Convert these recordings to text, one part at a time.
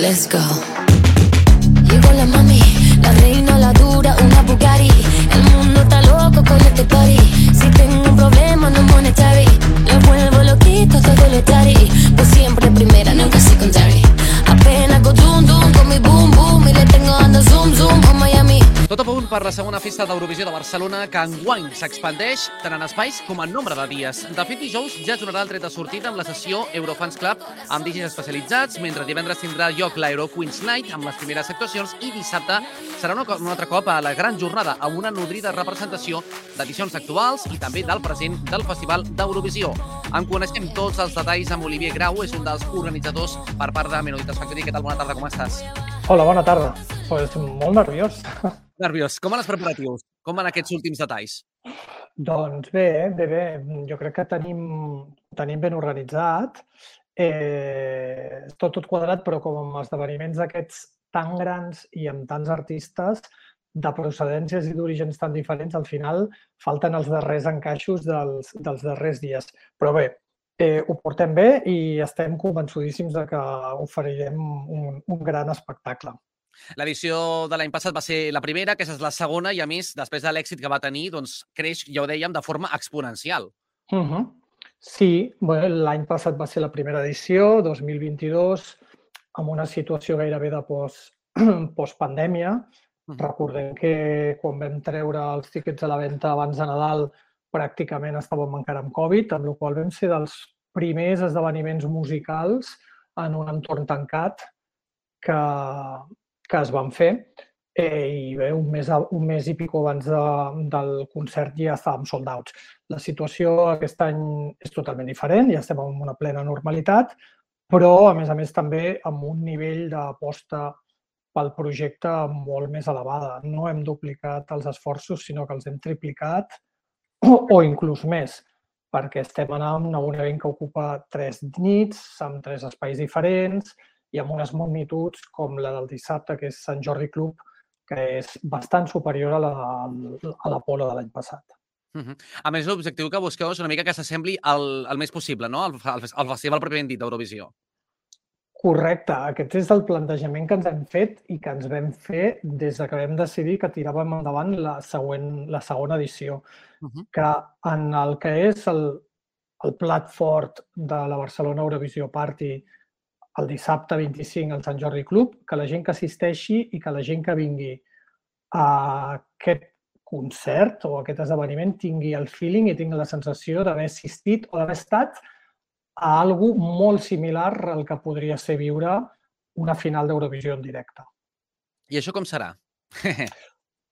let's go. Llegó la mami, la reina, la dura, una Bugatti. El mundo está loco con este party. Si tengo un problema no monetary, lo vuelvo loquito todo lo tari. Pues siempre primera, nunca secondary. Apenas go dum dum con mi boom boom y le tengo ando zoom zoom a Miami. Tot a punt per la segona festa d'Eurovisió de Barcelona, que enguany s'expandeix tant en espais com en nombre de dies. De fet, dijous ja es donarà el tret de sortida amb la sessió Eurofans Club amb DJs especialitzats, mentre divendres tindrà lloc l'Euro Queens Night amb les primeres actuacions i dissabte serà un altre cop a la gran jornada amb una nodrida representació d'edicions actuals i també del present del Festival d'Eurovisió. En coneixem tots els detalls amb Olivier Grau, és un dels organitzadors per part de Menoditas Factory. Què tal? Bona tarda, com estàs? Hola, bona tarda. Pues molt nerviós. Nerviós. Com van els preparatius? Com van aquests últims detalls? Doncs bé. Jo crec que tenim ben organitzat. Tot quadrat, però com amb esdeveniments d'aquests tan grans i amb tants artistes de procedències i d'orígens tan diferents, al final falten els darrers encaixos dels darrers dies. Però bé, ho portem bé i estem convençudíssims de que oferirem un gran espectacle. L'edició de l'any passat va ser la primera, aquesta és la segona, i a més, després de l'èxit que va tenir, doncs creix, ja ho dèiem, de forma exponencial. Sí, l'any passat va ser la primera edició, 2022, amb una situació gairebé de postpandèmia. Recordem que quan vam treure els tíquets a la venda abans de Nadal pràcticament estàvem encara amb Covid, amb la qual cosa vam ser dels primers esdeveniments musicals en un entorn tancat que es van fer, i bé, un mes i pico abans del concert ja estàvem sold outs. La situació aquest any és totalment diferent, ja estem en una plena normalitat, però a més també amb un nivell d'aposta pel projecte molt més elevada. No hem duplicat els esforços, sinó que els hem triplicat o inclús més, perquè estem anant a un event que ocupa 3 nits, amb 3 espais diferents, i amb unes magnituds com la del dissabte, que és Sant Jordi Club, que és bastant superior a l'Apolo de l'any passat. A més, l'objectiu que busqueu és una mica que s'assembli al més possible, no? Al festival pròpiament dit d'Eurovisió. Correcte. Aquest és el plantejament que ens hem fet i que ens vam fer des que vam decidir que tiràvem endavant la segona edició, que en el que és el plat fort de la Barcelona Eurovisió Party el dissabte 25 al Sant Jordi Club, que la gent que assisteixi i que la gent que vingui a aquest concert o a aquest esdeveniment tingui el feeling i tingui la sensació d'haver assistit o d'haver estat a alguna cosa molt similar al que podria ser viure una final d'Eurovisió en directe. I això com serà?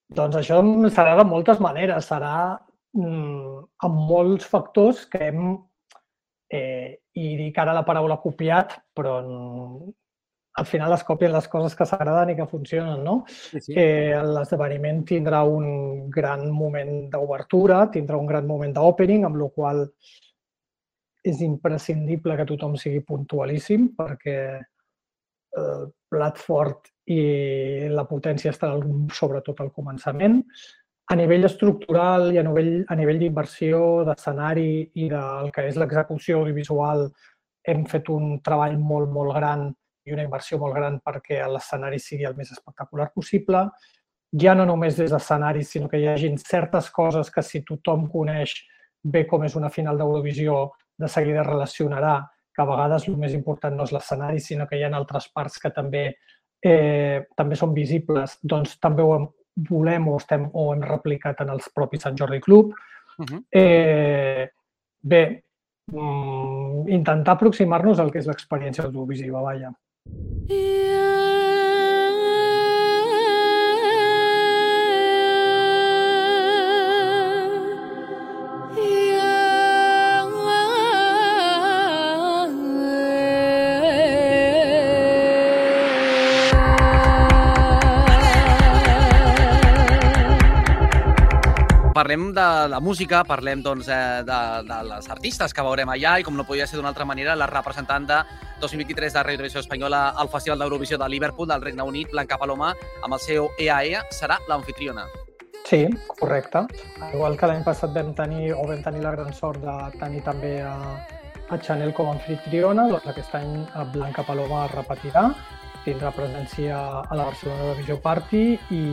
Doncs això serà de moltes maneres. Serà amb molts factors que hem, i dic ara la paraula copiat, però al final es copien les coses que s'agraden i que funcionen, no? L'esdeveniment tindrà un gran moment d'obertura, tindrà un gran moment d'opening, amb la qual és imprescindible que tothom sigui puntualíssim, perquè el plat fort i la potència estaran sobretot al començament. A nivell estructural i a nivell d'inversió, d'escenari i del que és l'execució audiovisual, hem fet un treball molt, molt gran i una inversió molt gran perquè l'escenari sigui el més espectacular possible. Ja no només des d'escenaris, sinó que hi hagin certes coses que si tothom coneix bé com és una final d'Eurovisió, de seguida relacionarà que a vegades el més important no és l'escenari, sinó que hi ha altres parts que també són visibles, doncs també ho volem o hem replicat en els propis Sant Jordi Club. Bé, intentar aproximar-nos al que és l'experiència audiovisiva, vaja. Parlem de la música, parlem de les artistes que veurem allà i, com no podia ser d'una altra manera, la representant de 2023 de Radio Televisió Espanyola al Festival d'Eurovisió de Liverpool, del Regne Unit, Blanca Paloma, amb el seu EAE, serà l'anfitriona. Sí, correcte. Igual que l'any passat vam tenir la gran sort de tenir també a Chanel com a anfitriona, doncs aquest any Blanca Paloma repetirà. tindrà presència a la Barcelona Eurovisió Party i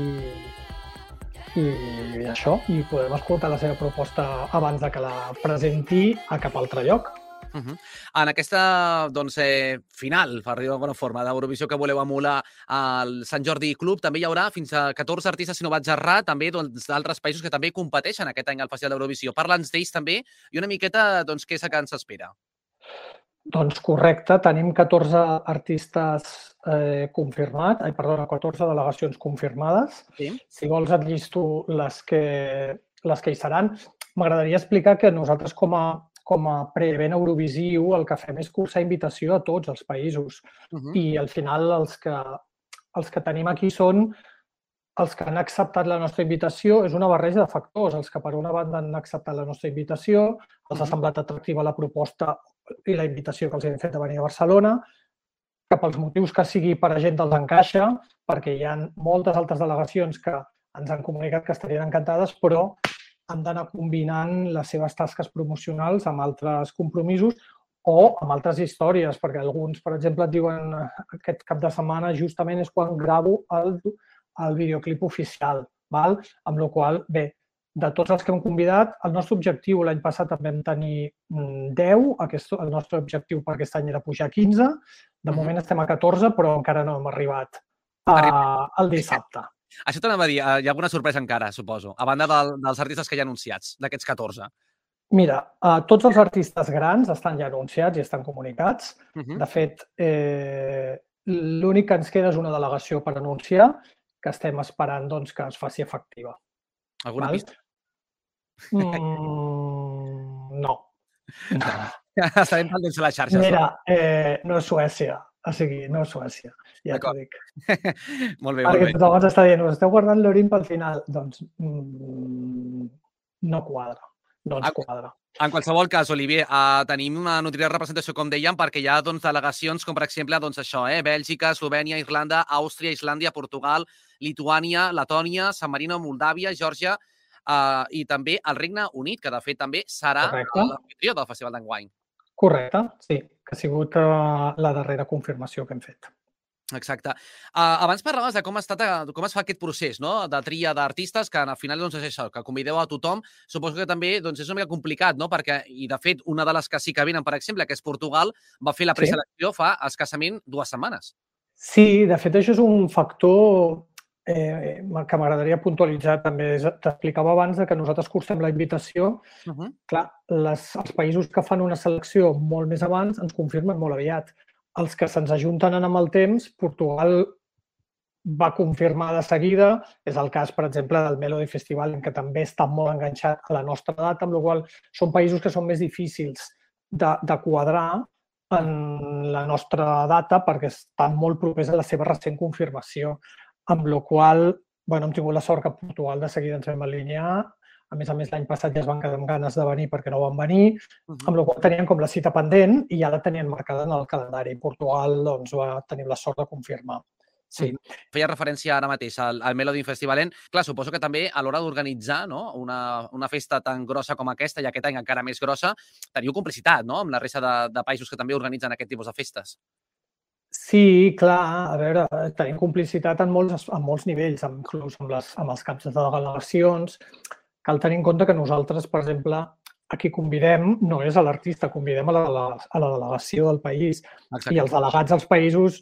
això, i podem escoltar la seva proposta abans de que la presenti a cap altre lloc. En aquesta final, per dir d'alguna forma, d'Eurovisió que voleu emular al Sant Jordi Club, també hi haurà fins a 14 artistes, si no vaig errar, també d'altres països que també competeixen aquest any al Festival d'Eurovisió. Parla'ns d'ells també i una miqueta què és el que ens espera. Doncs correcte, tenim 14 artistes confirmats, 14 delegacions confirmades. Sí. Si vols et llisto les que hi seran. M'agradaria explicar que nosaltres com a preevent Eurovisiu el que fem és cursar invitació a tots els països. I al final els que tenim aquí són els que han acceptat la nostra invitació. És una barreja de factors. Els que per una banda han acceptat la nostra invitació, els ha semblat atractiva la proposta i la invitació que els hem fet de venir a Barcelona, que pels motius que sigui per a gent els encaixa, perquè hi ha moltes altres delegacions que ens han comunicat que estarien encantades, però han d'anar combinant les seves tasques promocionals amb altres compromisos o amb altres històries, perquè alguns, per exemple, et diuen aquest cap de setmana justament és quan gravo el videoclip oficial, amb la qual cosa, bé, de tots els que hem convidat, el nostre objectiu l'any passat en vam tenir 10, el nostre objectiu per aquest any era pujar a 15, de moment estem a 14, però encara no hem arribat al dissabte. Això t'anava a dir, hi ha alguna sorpresa encara, suposo, a banda dels artistes que hi ha anunciats, d'aquests 14. Mira, tots els artistes grans estan ja anunciats i estan comunicats. De fet, l'únic que ens queda és una delegació per anunciar, que estem esperant que es faci efectiva. Alguna pista? No. Estarem pendents a les xarxes. Mira, no és Suècia. O sigui, no és Suècia, ja t'ho dic. Molt bé, perquè tothom ens està dient, us esteu guardant l'Orin pel final. Doncs no quadra, no ens quadra. En qualsevol cas, Olivier, tenim una nutrida representació, com dèiem, perquè hi ha delegacions com, per exemple, això, Bèlgica, Eslovènia, Irlanda, Àustria, Islàndia, Portugal, Lituània, Letònia, San Marino, Moldàvia, Geòrgia i també el Regne Unit, que de fet també serà l'anfitrió del Festival d'enguany. Correcte, sí, que ha sigut la darrera confirmació que hem fet. Exacte. Abans parlaves de com es fa aquest procés de tria d'artistes, que al final és això, que convideu a tothom. Suposo que també és una mica complicat, perquè, i de fet, una de les que sí que venen, per exemple, que és Portugal, va fer la preselecció fa escassament 2 setmanes. Sí, de fet, això és un factor que m'agradaria puntualitzar també. T'explicava abans que nosaltres cursem la invitació. Clar, els països que fan una selecció molt més abans ens confirmen molt aviat. Els que se'ns ajunten amb el temps, Portugal va confirmar de seguida. És el cas, per exemple, del Melody Festival, en què també està molt enganxat a la nostra data, amb la qual cosa són països que són més difícils de quadrar en la nostra data perquè estan molt propers a la seva recent confirmació. Amb la qual cosa, hem tingut la sort que a Portugal de seguida ens vam alinear. A més, l'any passat ja es van quedar amb ganes de venir perquè no van venir, amb la qual cosa tenien com la cita pendent i ja la tenien marcada en el calendari. Portugal va tenir la sort de confirmar. Sí. Feia referència ara mateix al Melody Festival. Clar, suposo que també a l'hora d'organitzar una festa tan grossa com aquesta, i aquest any encara més grossa, teniu complicitat amb la resta de països que també organitzen aquest tipus de festes. Sí, clar, a veure, tenim complicitat en molts nivells, inclús amb els caps de delegacions. Cal tenir en compte que nosaltres, per exemple, a qui convidem no és a l'artista, convidem a la delegació del país. I els delegats dels països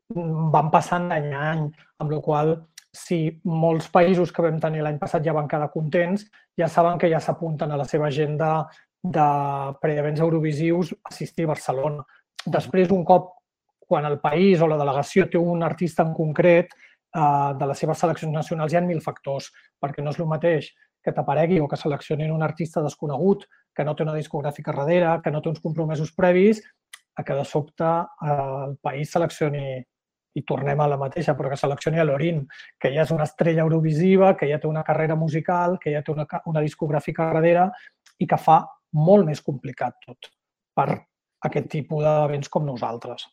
van passant d'any a any, amb la qual cosa, si molts països que vam tenir l'any passat ja van quedar contents, ja saben que ja s'apunten a la seva agenda de preevents eurovisius assistir a Barcelona. Després, un cop, quan el país o la delegació té un artista en concret, de les seves seleccions nacionals hi ha 1000 factors, perquè no és el mateix que t'aparegui o que seleccionin un artista desconegut, que no té una discogràfica darrere, que no té uns compromisos previs, a que de sobte el país seleccioni, i tornem a la mateixa, però que seleccioni a l'Orin, que ja és una estrella eurovisiva, que ja té una carrera musical, que ja té una discogràfica darrere i que fa molt més complicat tot per aquest tipus d'events com nosaltres.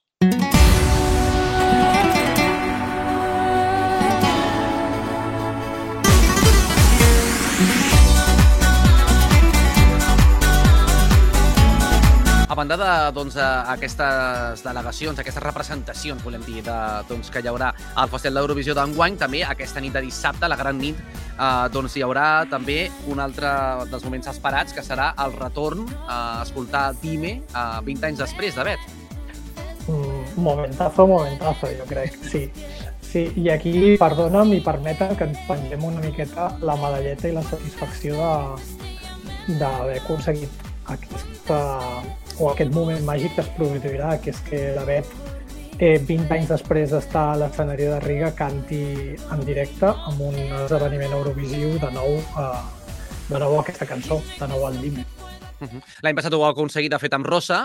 banda d'aquestes delegacions, aquestes representacions, volem dir, que hi haurà al Festival d'Eurovisió d'enguany, també aquesta nit de dissabte, la gran nit, hi haurà també un altre dels moments esperats, que serà el retorn a escoltar Dime 20 anys després de Bet. Momentazo, jo crec, sí. Sí, i aquí, perdona'm i permeten que ens pengem una miqueta la medalleta i la satisfacció d'haver aconseguit aquest moment màgic que es produirà, que és que la Bet, 20 anys després d'estar a l'escenari de Riga, canti en directe amb un esdeveniment eurovisiu de nou aquesta cançó, de nou el Dime. L'any passat ho va aconseguir, de fet, amb Rosa,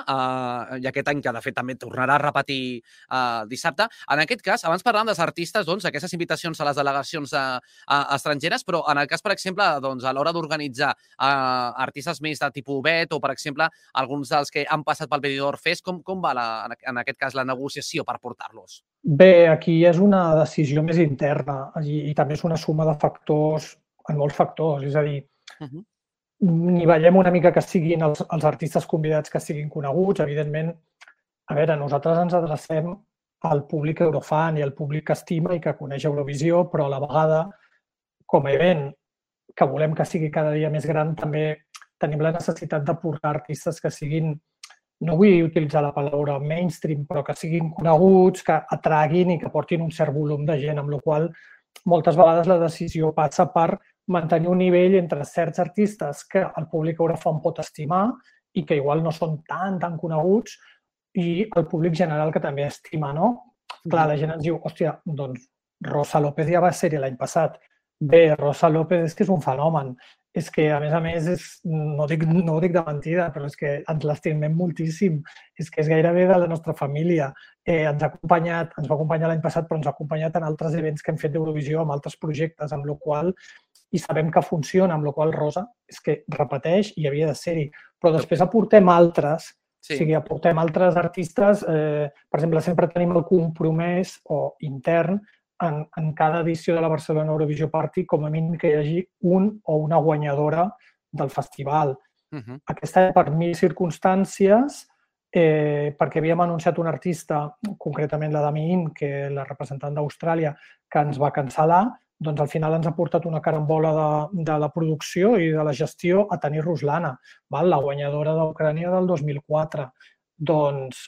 i aquest any, que de fet també tornarà a repetir dissabte. En aquest cas, abans parlàvem dels artistes, aquestes invitacions a les delegacions estrangeres, però en el cas, per exemple, a l'hora d'organitzar artistes més de tipus Bet o, per exemple, alguns dels que han passat pel Benidorm Fest, com va, en aquest cas, la negociació per portar-los? Bé, aquí és una decisió més interna i també és una suma de factors, en molts factors, és a dir, nivellem una mica que siguin els artistes convidats que siguin coneguts. Evidentment, a veure, nosaltres ens adrecem al públic eurofan i al públic que estima i que coneix Eurovisió, però a la vegada, com a event que volem que sigui cada dia més gran, també tenim la necessitat de portar artistes que siguin, no vull utilitzar la paraula mainstream, però que siguin coneguts, que atraguin i que portin un cert volum de gent, amb la qual cosa moltes vegades la decisió passa per mantenir un nivell entre certs artistes que el públic eurofan pot estimar i que igual no són tan coneguts i el públic general que també estima, no? Clar, la gent ens diu, hòstia, doncs Rosa López ja va ser-hi l'any passat. Bé, Rosa López és que és un fenomen. És que, a més, no ho dic de mentida, però és que ens l'estimem moltíssim. És que és gairebé de la nostra família. Ens va acompanyar l'any passat, però ens ha acompanyat en altres events que hem fet d'Eurovisió, amb altres projectes, amb la qual i sabem que funciona, amb la qual Rosa és que repeteix i havia de ser-hi. Però després aportem altres, o sigui, aportem altres artistes. Per exemple, sempre tenim el compromès intern en cada edició de la Barcelona Eurovisió Party, com a mínim que hi hagi un o una guanyadora del festival. Aquest any, per 1000 circumstàncies, perquè havíem anunciat un artista, concretament la Dami In, que és la representant d'Austràlia, que ens va cancel·lar, doncs al final ens ha portat una carambola de la producció i de la gestió a tenir Ruslana, la guanyadora d'Ucrània del 2004. Doncs,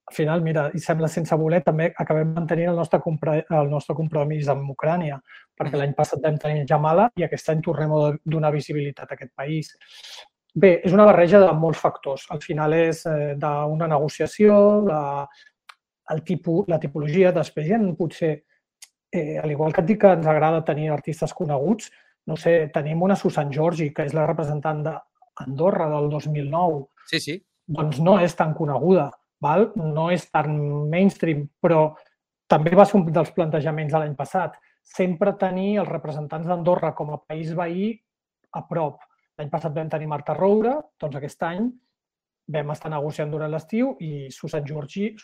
al final, mira, i sembla sense voler, també acabem mantenint el nostre compromís amb Ucrània, perquè l'any passat vam tenir Jamala i aquest any tornem a donar visibilitat a aquest país. Bé, és una barreja de molts factors. Al final és d'una negociació, la tipologia, després hi ha potser, al igual que et dic que ens agrada tenir artistes coneguts, no sé, tenim una Susan Georgi, que és la representant d'Andorra del 2009. Sí. Doncs no és tan coneguda, no és tan mainstream, però també va ser un dels plantejaments de l'any passat. Sempre tenir els representants d'Andorra com a país veí a prop. L'any passat vam tenir Marta Roure, doncs aquest any vam estar negociant durant l'estiu i Susan Georgi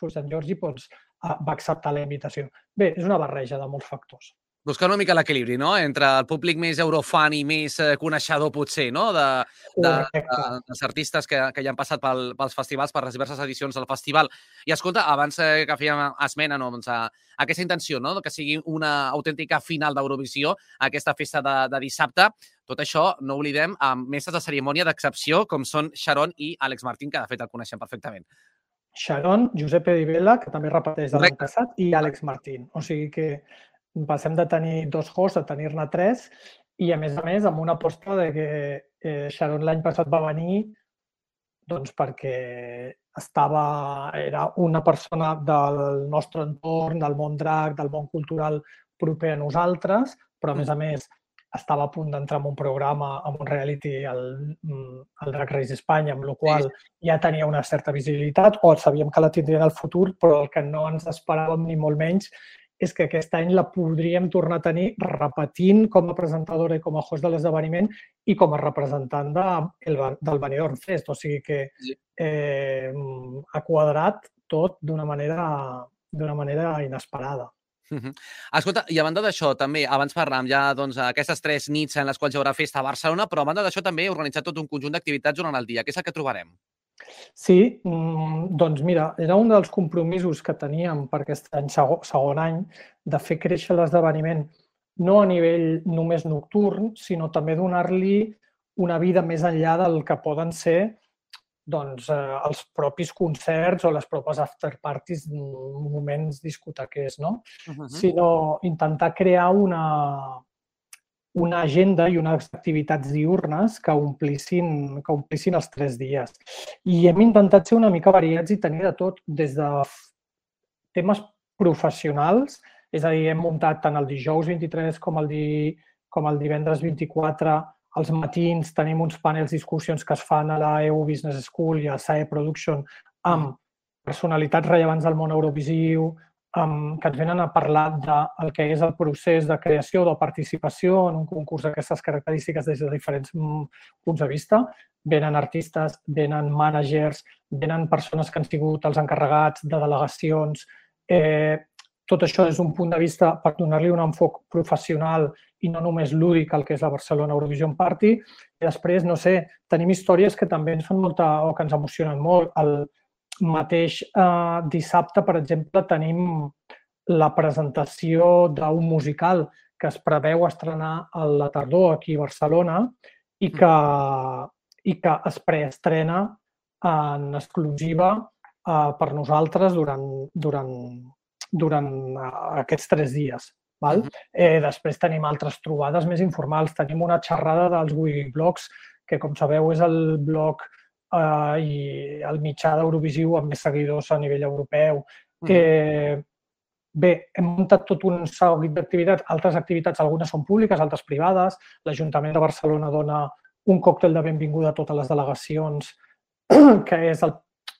va acceptar la invitació. Bé, és una barreja de molts factors. Buscar una mica l'equilibri, no?, entre el públic més eurofan i més coneixedor, potser, no?, dels artistes que ja han passat pels festivals, per les diverses edicions del festival. I escolta, abans que fèiem esmena a aquesta intenció, no?, que sigui una autèntica final d'Eurovisió, aquesta festa de dissabte, tot això, no oblidem, amb mestres de cerimònia d'excepció, com són Sharon i Àlex Martín, que de fet el coneixem perfectament. Sharon, Giuseppe Di Bella, que també repeteix de l'any passat, i Àlex Martín. O sigui que passem de tenir 2 hosts a tenir-ne 3 i, a més, amb una aposta de que Sharon l'any passat va venir perquè era una persona del nostre entorn, del món drac, del món cultural proper a nosaltres, però, a més, estava a punt d'entrar en un programa, en un reality, el Drag Race Espanya, amb la qual ja tenia una certa visibilitat, o sabíem que la tindria en el futur, però el que no ens esperàvem ni molt menys és que aquest any la podríem tornar a tenir repetint com a presentadora i com a host de l'esdeveniment i com a representant del Benidorm Fest. O sigui que ha quadrat tot d'una manera inesperada. Escolta, i a banda d'això, també, abans parlàvem ja d'aquestes 3 nits en les quals hi haurà festa a Barcelona, però a banda d'això també he organitzat tot un conjunt d'activitats durant el dia. Què és el que trobarem? Sí, doncs mira, era un dels compromisos que teníem per aquest any, segon any, de fer créixer l'esdeveniment no a nivell només nocturn, sinó també donar-li una vida més enllà del que poden ser doncs, els propis concerts o les propes afterparties, moments discotequers, no? Sinó intentar crear una agenda i unes activitats diurnes que omplissin els 3 dies. I hem intentat ser una mica variats i tenir de tot, des de temes professionals, és a dir, hem muntat tant el dijous 23 com el divendres 24. Als matins tenim uns panels discussions que es fan a la EU Business School i a SAE Production amb personalitats rellevants del món eurovisiu, que ens venen a parlar del que és el procés de creació o de participació en un concurs d'aquestes característiques des de diferents punts de vista. Venen artistes, venen mànagers, venen persones que han sigut els encarregats de delegacions. Tot això des d'un punt de vista per donar-li un enfoc professional i no només lúdic al que és la Barcelona Eurovision Party. I després, no sé, tenim històries que també ens fan molta o que ens emocionen molt. El mateix dissabte, per exemple, tenim la presentació d'un musical que es preveu estrenar a la tardor aquí a Barcelona i que es preestrena en exclusiva per nosaltres durant aquests 3 dies. Després tenim altres trobades més informals. Tenim una xerrada dels Wikiblogs, que, com sabeu, és el blog i el mitjà d'Eurovisiu amb més seguidors a nivell europeu. Bé, hem muntat tot un seguit d'activitats. Altres activitats, algunes són públiques, altres privades. L'Ajuntament de Barcelona dona un còctel de benvinguda a totes les delegacions, que és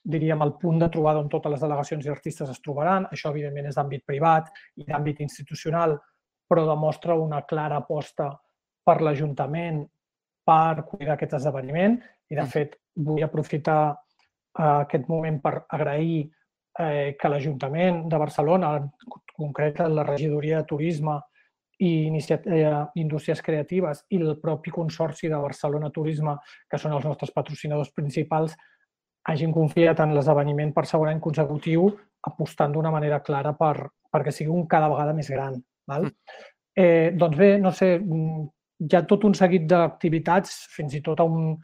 diríem, el punt de trobada on totes les delegacions i artistes es trobaran. Això, evidentment, és d'àmbit privat i d'àmbit institucional, però demostra una clara aposta per l'Ajuntament per cuidar aquest esdeveniment. I, de fet, vull aprofitar aquest moment per agrair que l'Ajuntament de Barcelona, en concret la Regidoria de Turisme i Indústries Creatives i el propi Consorci de Barcelona Turisme, que són els nostres patrocinadors principals, hagin confiat en l'esdeveniment per segon any consecutiu, apostant d'una manera clara perquè sigui cada vegada més gran. Doncs bé, no sé, hi ha tot un seguit d'activitats, fins i tot un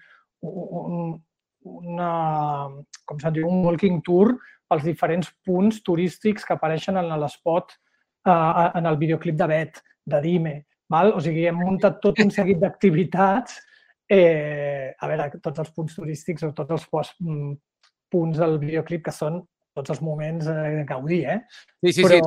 walking tour pels diferents punts turístics que apareixen en l'espot, en el videoclip de Bet, de Dime. O sigui, hem muntat tot un seguit d'activitats. A veure, tots els punts turístics o tots els punts del videoclip que són tots els moments de gaudir, Però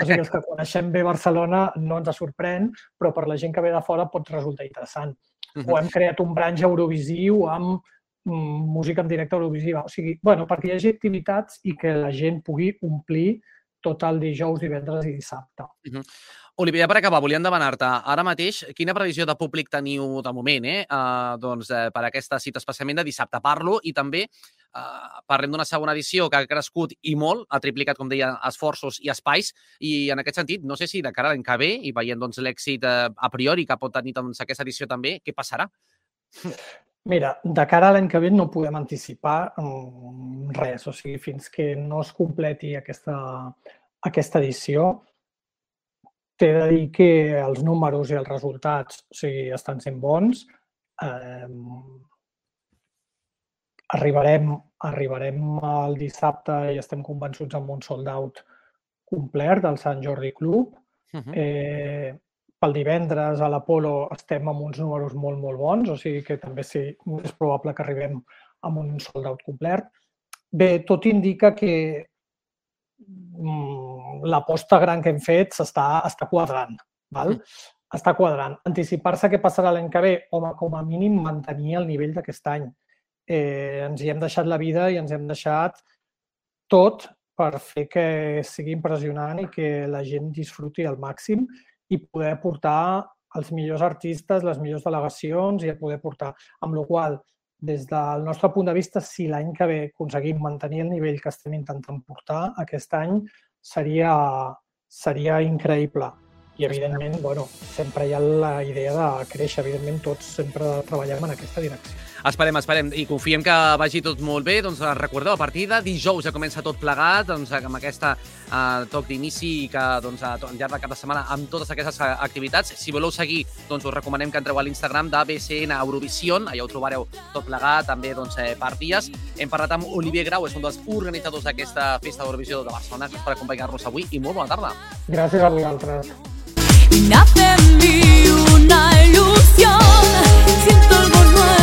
els que coneixem bé Barcelona no ens sorprèn, però per la gent que ve de fora pot resultar interessant. O hem creat un branch eurovisiu amb música en directe eurovisiva. O sigui, perquè hi hagi activitats i que la gent pugui omplir tot el dijous, divendres i dissabte. Olivia, per acabar, volíem demanar-te ara mateix quina previsió de públic teniu de moment per aquesta cita, especialment de dissabte. Parlo i també parlem d'una segona edició que ha crescut i molt, ha triplicat, com deia, esforços i espais, i en aquest sentit, no sé si de cara a l'any que ve, i veient l'èxit a priori que pot tenir aquesta edició també, què passarà? Mira, de cara a l'any que ve no podem anticipar res, o sigui, fins que no es completi aquesta edició, t'he de dir que els números i els resultats estan sent bons. Arribarem al dissabte i estem convençuts amb un sold out complet del Sant Jordi Club. Pel divendres a l'Apolo estem amb uns números molt, molt bons, o sigui que també és probable que arribem amb un sold out complet. Bé, tot indica que l'aposta gran que hem fet està quadrant. Està quadrant. Anticipar-se què passarà l'any que ve, home, com a mínim mantenir el nivell d'aquest any. Ens hi hem deixat la vida i ens hem deixat tot per fer que sigui impressionant i que la gent disfruti al màxim i poder portar els millors artistes, les millors delegacions i poder portar. Amb la qual cosa, des del nostre punt de vista, si l'any que ve aconseguim mantenir el nivell que estem intentant portar aquest any, seria increïble. I, evidentment, sempre hi ha la idea de créixer. Evidentment, tots sempre treballem en aquesta direcció. Esperem, i confiem que vagi tot molt bé. Doncs recordeu, a partir de dijous ja comença tot plegat, doncs, amb aquesta toc d'inici i que doncs, al llarg de cap de setmana amb totes aquestes activitats. Si voleu seguir, doncs us recomanem que entreu a l'Instagram de BCN Eurovision, allà ho trobareu tot plegat, també doncs, per dies. Hem parlat amb Olivier Grau, és un dels organitzadors d'aquesta Festa d'Eurovisió de Barcelona, per acompanyar-nos avui i molt bona tarda. Gràcies a vosaltres. Nace en mí una ilusión, siento algo nuevo.